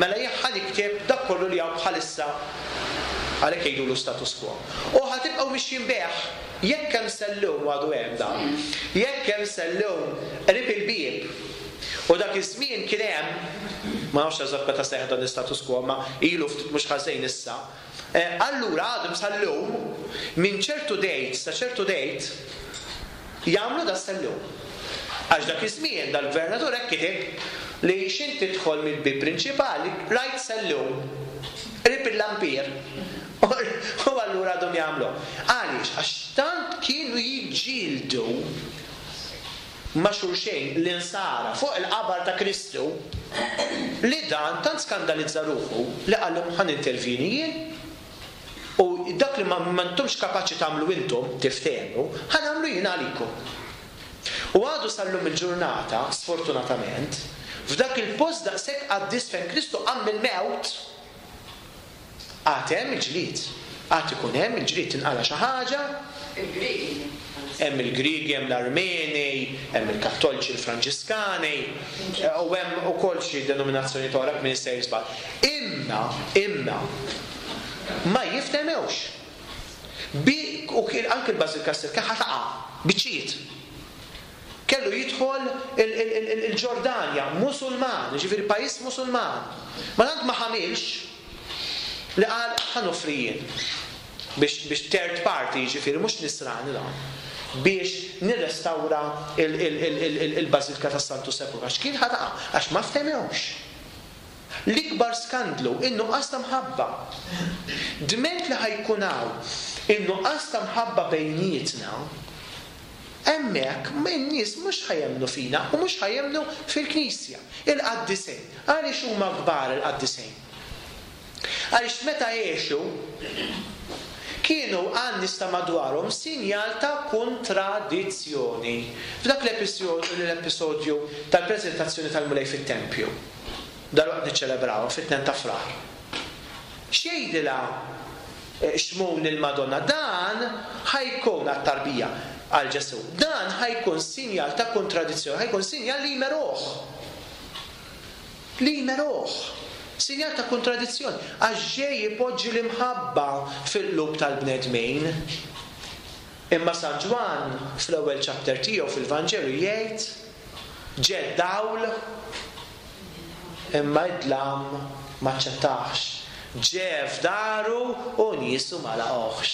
mela jien ħa nikteb dak kollu li hawn bħalissa, għalhekk jgħidulu status quo. U ħa tibqgħu mixjin bih, jekk hemm sellum għadu hemm dan, jekk hemm sellum qrib il-bieb. U dak iż-żmien kien hemm, ma nafx eżatt meta seħħ dan l-istatus quo, ma ilu ftit mhux ħażin issa. Allura għadhom sal-lum minn ċertu dejt sa ċertu dejt jagħmlu da sellum. Għax dak iż-żmien dal-gvernatur hekk kiteb li x'int tidħol mill-bieb prinċipali rajt sellum qrib il-lampir. U allura għadhom jagħmlu. Għaliex? Għax tant kienu jiġġieldu ma' xulxejn l-insara fuq il-qabar ta' Kristu li dan tant skandalizza ruħu li qallhom ħa nintervjeni jien u dak li ma intomx kapaċi tagħmlu intom tiftehmu ħa nagħmlu jien għalikom. U għadu sal-lum il-ġurnata, sfortunatament, f'dak il-post daqshekk qaddis fejn Kristu qam mill-mewt, għad hemm il-ġlied. Għad ikun hemm il-ġlied, tinqala xi ħaġa. Il-Griegi. Hemm il-Griegi, hemm l-Armeni, hemm il-Kattoliċi, il-Franġiskani, u hemm ukoll xi denominazzjoni oħra min jista' jiżball. Imma, imma ma jiftehmewx. Bi u anke l-Bażilika stess kien ħa taqa' biċċiet. Kellu jidħol il-Ġordanja, Musulman, jiġifieri pajjiż Musulman. Ma tant ma ħamilx li qal ħa noffri jien biex, biex third party, jiġifieri mhux nisrani dan, biex nirrestawra il-Bażilika tas-Santu Sepulkru. Għax kien ħa taqa', għax ma ftehmewx. L-ikbar skandlu, in-nuqqas ta' mħabba. Dment li ħajkun hawn in-nuqqas ta' mħabba bejnietna, hemmhekk in-nies mhux ħajemnu fina u mhux ħajemnu fil-Knisja. Il-qaddisejn. Għaliex huma kbar il-qaddisejn? Għaliex meta għexu kienu għan-nies ta' madwarhom sinjal ta' kontradizzjoni. F'dak l-episodju tal-preżentazzjoni tal-Mulej fit-tempju, dalwaqt niċċelebraw fit-tnejn ta' Frar. X'jgħidilha Xmun il-Madonna? Dan ħajkun għat-tarbija għal Ġesù. Dan ħajkun sinjal ta' kontradizzjoni, ħajkun sinjal li jmeruh. Li jmeruh. Sinjal ta' kontradizzjoni, għax ġej ipoġġi l-imħabba fil-qlub tal-bnedmin. Imma San Ġwann fl-ewwel chapter tiegħu fil-Vanġelu jgħid ġed dawl imma id-dlam ma ċċettax. Ġe f'daru u niesu ma laqgħuhx.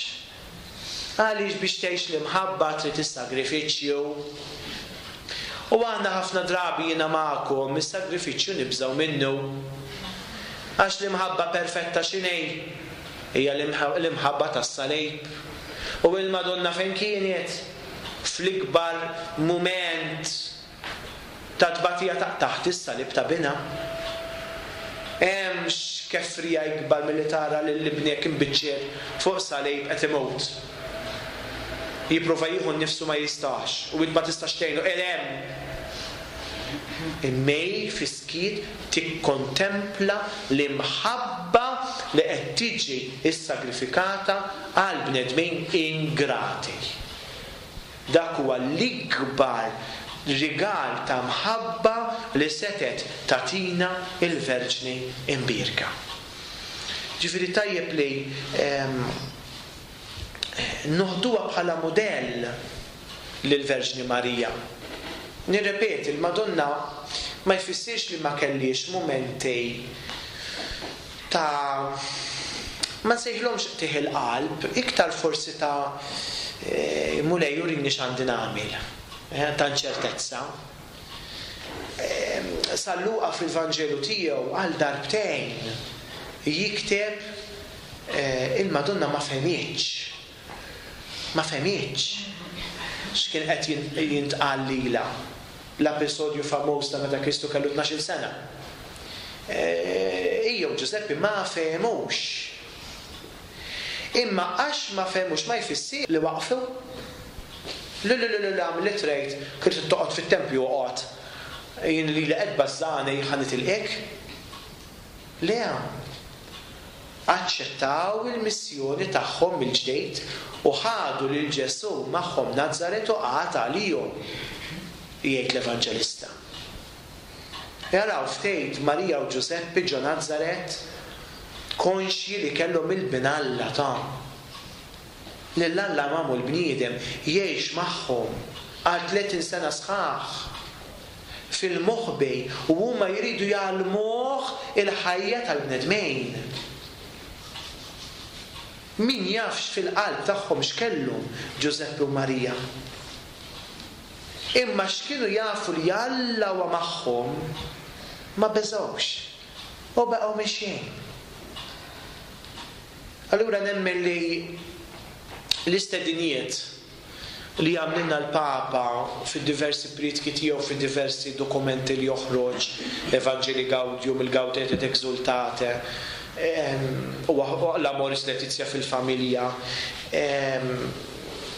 Għaliex biex tgħix l-imħabba trid is-sagrifiċċju. U aħna ħafna drabi jiena magħkom is-sagrifiċċju nibżgħu minnu. Għax l-imħabba perfetta x'inhi? Hija l-imħabba tas-salib. U il-Madonna fejn kienet? Fl-ikbar mument ta' tbatija ta' taħt is-salib ta' binha. Hemmx kefrija ikbar milli tara lil ibnek imbiċċer fuq salib qed imut. Jipprova jieħu nnifsu ma jistax u int ma tistax tgħinu, qed hemm. Immej fiskiet tikkontempla l-imħabba li qed tiġi issagrifikata għal bnedmin ingrati. Dak huwa l-ikbar rigal ta' mħabba li setet tatina il-Verġni Imbierka. Ġifieri tajjeb li ehm, noħduha bħala mudell lill-Verġni Marija. Nirrepeti, il-Madonna ma jfissirx li ma kellix mumenti ta' ma nsejħilhomx qtigħ il-qalb, iktar forsi ta' e, Mulej urini x'għandi nagħmel, eh, ta' inċertezza. E, San Luqa fil-Vanġelu tiegħu għal darbtejn jikteb e, il-Madonna ma fehmitx. Ma fehmitx x'kien qed jintqal lilha. L-episodju famuż ta' meta Kristu kellu tnax-il sena. Hija u Ġużeppi ma fehmux. Imma għax ma fehmux ma jfissir li waqfu. Le le le le għamil li trejt, kif toqgħod fit-tempju oqgħod. Jien li li qed bażżani ħa nitilqek. Le. Aċċettaw il-missjoni tagħhom mill-ġdejt u ħadu lil Ġesù magħhom Nazaret u qagħad għalihom, jgħid l-Evanġelista. Jaraw ftit Marija u Ġużeppi ġo Nazaret konxji li kellhom il-bin Alla ta' lil Alla magħmul bniedem jgħix magħhom għal tletin sena sħaħ fil-moħbi u huma jridu jgħallmuh il-ħajja tal-bnedmin. Min jafx fil-qalb tagħhom x'kellhom Ġużeppi u Marija. Imma x'kienu jafu li Alla huwa magħhom ma beżgħux u baqgħu mixjin. Allura nemmen li l-istedinijiet li għamlilna l-Papa fid-diversi prietki tiegħu, fid-diversi dokumenti li joħroġ, Evangelii Gaudium, il-Gaudete et Exultate, u l-Amoris Laetitia fil-familja,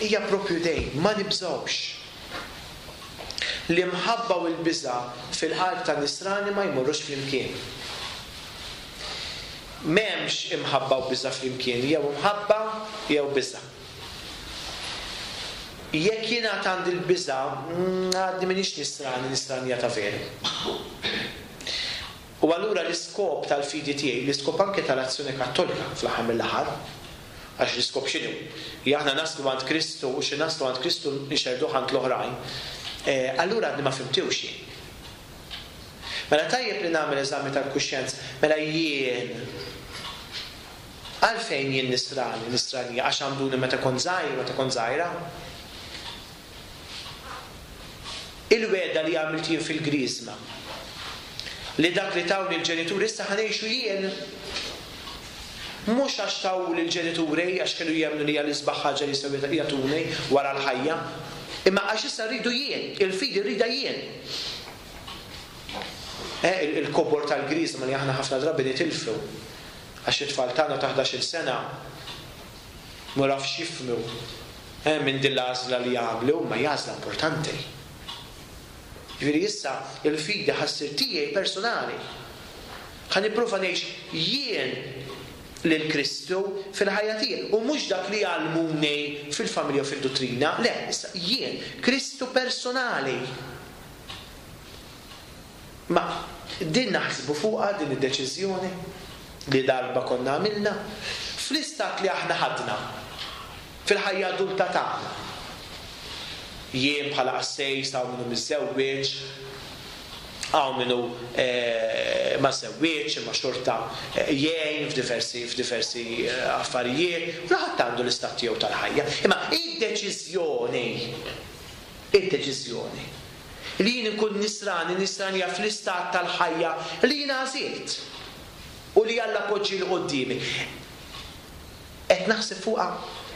hija propju dejn, ma nibżgħux. L-imħabba u l-biża' fil-qalb ta' nisrani ma jmorrux flimkien. M'hemmx imħabba u biża' flimkien, jew imħabba jew biża'. Jekk jien għad għandi l-biża', għadni m'iniex nisrani, nisranija ta' veru. U allura l-iskop tal-fidi tiegħi, l-iskop anke tal-azzjoni kattolika fl-aħħar mill-aħħar, għax l-iskop x'inhu? Li aħna naslu għand Kristu u xi naslu għand Kristu nxerduh għand l-oħrajn. Allura għadni ma fimtiwx jien. Mela tajjeb li nagħmel eżami tal-kuxjenza, mela jien għalfejn jien nisrani, nisranija, għax għamduni meta kont żgħir, meta kont żgħira. Il-wegħda li għamilt jien fil-Griżma, li dak li tawni l-ġenituri issa ħanejxu jien. Mhux għax tawli l-ġenituri għax kienu jemmnu li hija l-isbaħ ħaġa li jistgħu jagħtuni wara l-ħajja, imma għax issa rridu jien, il-fidi rridha jien. Eh, il-kobor tal-Griżma li aħna ħafna drabi nitilfu għax it-tfal tagħna ta' ħdax-il sena ma rafx jifhmu eh, minn din l-għażla li jagħmlu, ma hija għażla importanti. Ġifieri issa il-fidi ħassir tiegħi personali. Ħa nipprova ngħix jien lil Kristu fil-ħajja tiegħi u mhux dak li jgħallmuni fil-familja u fid-duttrina, le, issa jien Kristu personali. Ma din naħsbu fuqha din id-deċiżjoni li darba konna għamilna fl-istat li aħna ħadna fil-ħajja adulta tagħna. Jien bħala qassejs hawn minnu miżżewweġ, hawn minnu ma żewwieġ, imma xorta jgħin f'diversi f'diversi affarijiet, kulħadd għandu l-istat tiegħu tal-ħajja. Imma id-deċiżjoni, id-deċiżjoni li jien inkun nisrani, nisranija fl-istat tal-ħajja li jien għażilt u li Alla poġġi l quddiemi. Qed naħseb fuqha,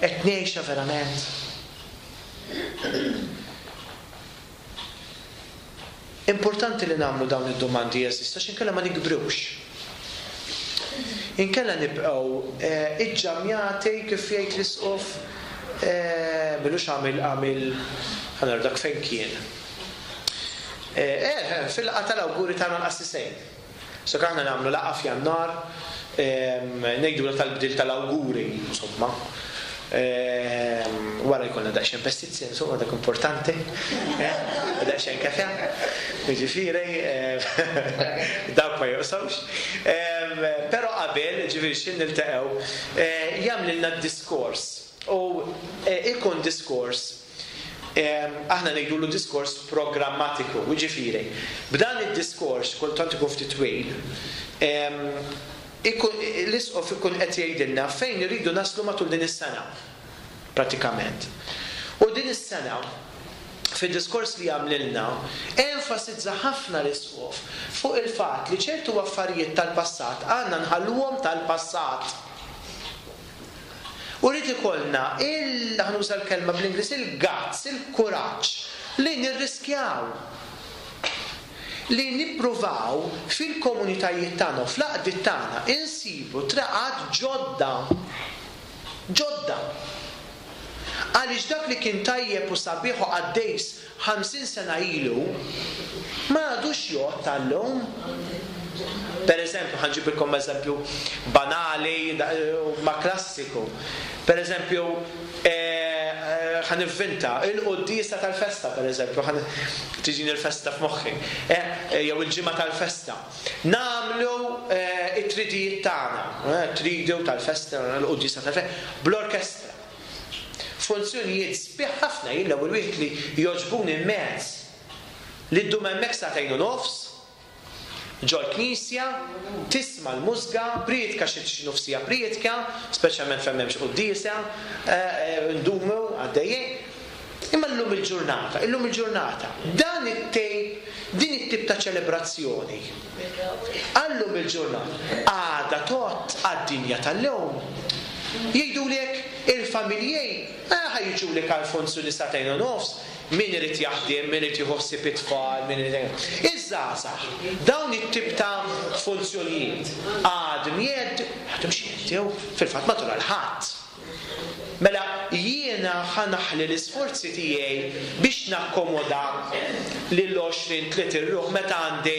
qed ngħixha verament. Importanti li nagħmlu dawn id-domandi jeżista għax inkella ma nikbrux. Inkella nibqgħu iġġamjati kif jgħid l-isqof, milux għamil għamil ħa dak fejn kien. Eh, fil-laqgħa tal-awguri tagħna l-qassisejn. So aħna nagħmlu laqgħa f'Jannar, ngħidu tal-bdil tal-awguri, insomma. Wara jkollna daqsxejn pestizzi, insomma dak importanti, eh, daqsxejn kafe, jiġifieri dawk ma joqsawx. Però qabel, ġifieri x'in niltaqgħu, jagħmlilna d-diskors. U ikun diskors, aħna ngħidulu diskors programmatiku, jiġifieri b'dan id-diskors, kultant ikun ftit twil, l-isqof ikun qed jgħidilna fejn irridu naslu matul din is-sena. Pratikament. U din is-sena, fid-diskors li għamlilna, enfasizza ħafna l-isqof fuq il-fatt li ċertu affarijiet tal-passat għandna nħalluhom tal-passat. U rrid ikollna il, ħa nuża l-kelma bl-Ingliż, il-guts, il-kuraġġ li nirriskjaw, li nippruvaw fil-komunitajiet tagħna u fl-għaqdiet tagħna insibu traqat ġodda. Ġodda. Għaliex dak li kien tajjeb u sabiħ u qaddejs ħamsin sena ilu ma għadux jgħod tal-lum. Per eżempju, ħa nġibilkom eżempju banali ma klassiku. Per eżempju, ħa nivvinta il-quddiesa tal-festa, per eżempju, tiġini l-festa f'moħħi, jew il-ġimgħa tal-festa. Nagħmlu it-tridijiet tagħna, tridu tal-festa, l-quddiesa tal-festa, bl-orkestra. Funzjonijiet sbieħ ħafna, jien l-ewwel wieħed li jogħġbuni immens. Li ddum hemmhekk sagħtejn u nofs, ġol-knisja, tisma' l-mużga, prietka xi nofsija prietka, speċjalment fejn m'hemmx quddiesa, ndumu għaddejjin. Imma llum il-ġurnata, illum il-ġurnata, dan it-tejp, din it-tip ta' ċelebrazzjoni, għallum il-ġurnata, għada tot għad-dinja tal-lum. Jgħidulek il-familjej, ħajġulek għal funzjoni sagħtejn u nofs, min irid jaħdem, min irid jieħu ħsieb it-tfal, min irid jaħdem. Iż-żgħażagħ, dawn it-tip ta' funzjonijiet għadhom jgħeddu, għadhom x'jgħeddew, fil-fatt matul għal ħadd. Mela jiena ħa naħli l-isforzi tiegħi biex nakkomoda lil għoxrin tliet ruħ meta għandi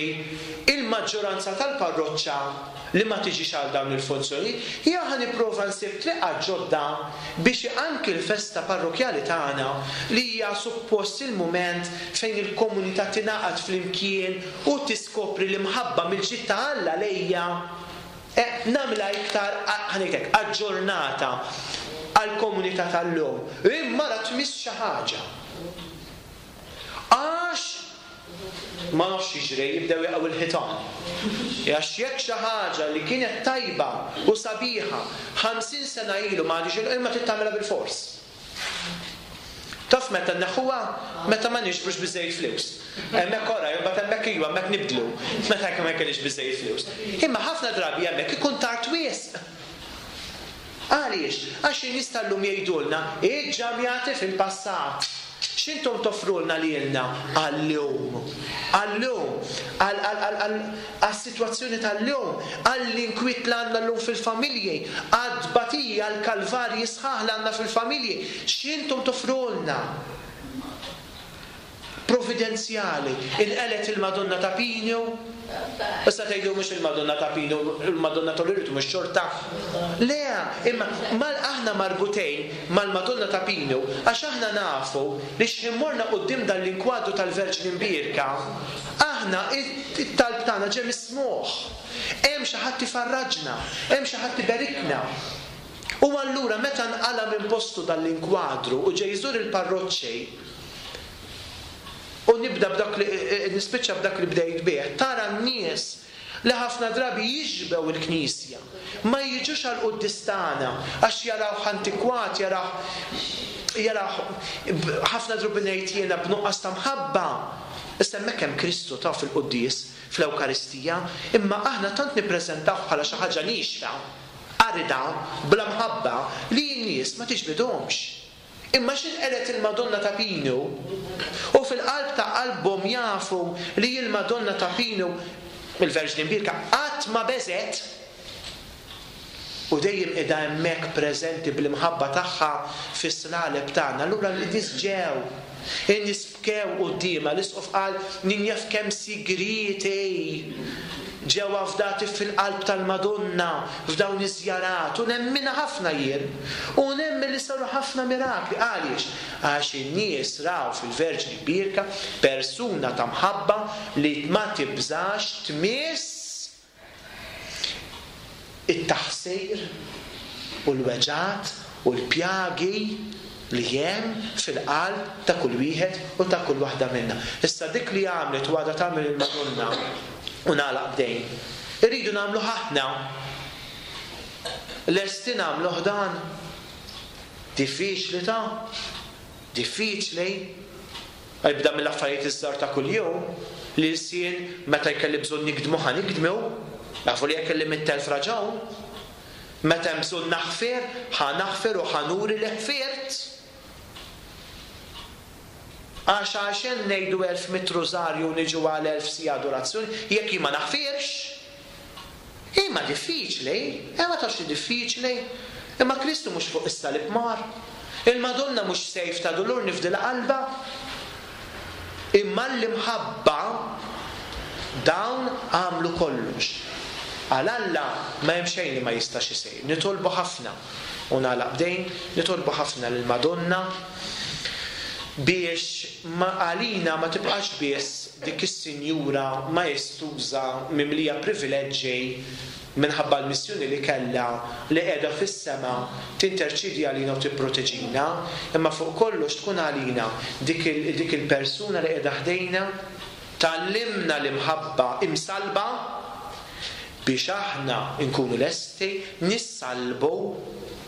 il-maġġoranza tal-parroċċa li ma tiġix għal dawn il-funzjoni, jew ħa nipprova nsib triqa ġodda biex anki l-festa parrokjali tagħna li hija suppost il-mument fejn il-komunità tingħaqad flimkien u tiskopri l-imħabba mill-ġid ta' Alla lejja, nagħmilha iktar, ħa ngħidlek, aġġornata għall-komunità tal-lum. Imma ra tmiss xi ħaġa. Għax ma nafx jiġri, jibdew jaqgħu il-ħitan. Għax jekk xi ħaġa li kienet tajba u sabiħa ħamsin sena ilu ma għadix imma trid tagħmilha bil-fors. Taf meta nneħħuha? Meta ma nixbrux biżejjed flus. Hemmhekk ora, imbagħad hemmhekk iva, hemmhekk nibdlu. Meta jekk ma jkollix biżejjed flus. Imma ħafna drabi hemmhekk ikun tard wisq. Għaliex? Għax in-nies tal-lum jgħidulna iġġamjati fil-passat. X'intom toffrulna lilna għal-lum? Għal-lum, għas-sitwazzjoni tal-lum, għall-inkwiet li għandna llum fil-familji, għad-tbatija, għall-kalvarji sħaħ li għandna fil-familji. X'intom toffrulna? Providenzjali, inqelet il-Madonna ta' Pinu. Issa tgħidu mhux il-Madonna ta' Pinu, il-Madonna tal-Loreto mhux xorta. Le, imma mal aħna marbutejn mal-Madonna ta' Pinu għax aħna nafu li x'ħin morna quddiem dan l-inkwadru tal-Verġni Mbierka, aħna it-talb tagħna ġie mismugħ. Hemm xi ħadd ifarraġna, hemm xi ħadd iberikna. U allura meta nqala minn postu dan l-inkwadru u ġej jżur il-parroċċi, u nibda b'dak li, nispiċċa b'dak li bdejt bih, tara n-nies li ħafna drabi jiġbew il-knisja, ma jiġux għal quddies tagħna għax jaraw antikwat, jaraw, jaraw ħafna drabi ngħid jiena b'nuqqas ta' mħabba. Issa hemmhekk hemm Kristu ta' fil-quddies, fl-Ewkaristija, imma aħna tant nippreżentaw bħala xi ħaġa nixfa, arida, bla mħabba, li n-nies ma tiġbidhomx. Imma x'inqelet il-Madonna ta' Pinu, u fil-qalb ta' qalbhom jafu li l-Madonna ta' Pinu, il-Verġni Mbierka, qatt ma beżet, u dejjem qiegħda hemmhekk preżenti bl-imħabba tagħha fis-slaleb tagħna. Allura n-nies ġew, in-nies bkew quddiemha, l-isqof qal min jaf kemm sigrieti ġew afdati fil-qalb tal-Madonna f'dawn iż-żjarat u nemminha ħafna jien. U nemmen li saru ħafna mirakli. Għaliex? Għax in-nies raw fil-Verġni Mbierka persuna ta' mħabba li ma tibżax tmiss it-taħsir u l-weġgħat u l-pjagi li hemm fil-qalb ta' kull wieħed u ta' kull waħda minna. Issa dik li għamlet u għadha tagħmel il-Madonna u nagħlaq b'dejn. Irridu nagħmlu aħna. Lesti nagħmluh dan. Diffiċli ta' diffiċli. Ibda mill-affarijiet iż-żgħar ta' kuljum, li l-sien meta jkelli bżonn nikdmu ħa nikdmu, nafu li jekk kelli mitt elf raġun. Meta hemm bżonn naħfer, ħa naħfer u ħa nuri li ħfirt. Għax għaxen ngħidu elf mitt rużarju niġu għal elf siegħa adorazzjoni, jekk jien ma naħfirx. Imma diffiċli, eh, ma tafx li diffiċli. Imma Kristu mhux fuq is-salib mar. Il-Madonna mhux sejf ta' dulur nifdilha qalbha. Imma l-imħabba dawn għamlu kollox. Għal Alla ma hemm xejn li ma jistax isir. Nitolbu ħafna u nagħlaq b'dejn, nitolbu ħafna lill-Madonna biex ma għalina ma tibqax biss dik is-sinjura maestuża mimlija privileġġi minħabba l-missjoni li kellha li qiegħda fis-sema tinterċidi għalina u tipproteġina, imma fuq kollox tkun għalina dik il-, dik il-persuna li qiegħda ħdejna tgħallimna l-imħabba imsalba biex aħna nkunu lesti nissalbu,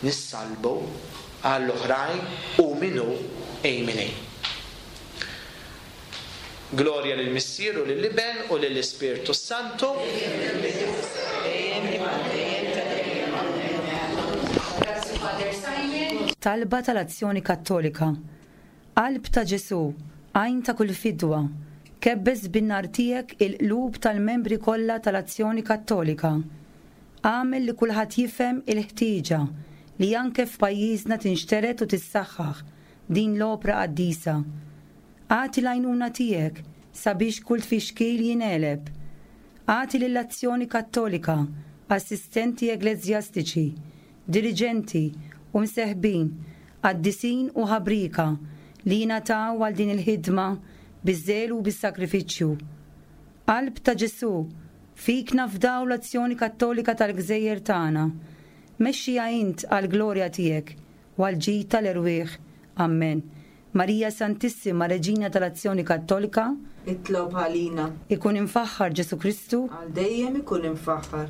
nissalbu għall-oħrajn u minnu ejmini. Gloria lil Missier u lill-Iben u lill-Ispirtu Santu. Talba tal-Azzjoni Kattolika. Qalb ta' Ġesu, għajn ta' kull fidwa, kebbes bin-nar tiegħek il-qlub tal-membri kollha tal-Azzjoni Kattolika. Agħmel li kulħadd jifhem il-ħtieġa li anke f'pajjiżna tinxtered u tissaħħaħ din l-opra qaddisa. Agħti l-għajnuna tiegħek sabiex kull tfixkil jingħeleb. Agħti lill-Azzjoni Kattolika, assistenti ekleżjastiċi, diriġenti u mseħbin, qaddisin u ħabrika li jingħataw għal din il-ħidma biż-żelu u bis-sakrifiċċju. Qalb ta' Ġesu, fik nafdaw l-Azzjoni Kattolika tal-Gżejjer tagħna. Mexxija int għall-glorja tiegħek u għall-ġid tal-erwieħ. Amen. Marija Santissima, Reġina tal-Azzjoni Kattolika, itlob għalina. Ikun imfaħħar Ġesu Kristu, għal dejjem ikun imfaħħar.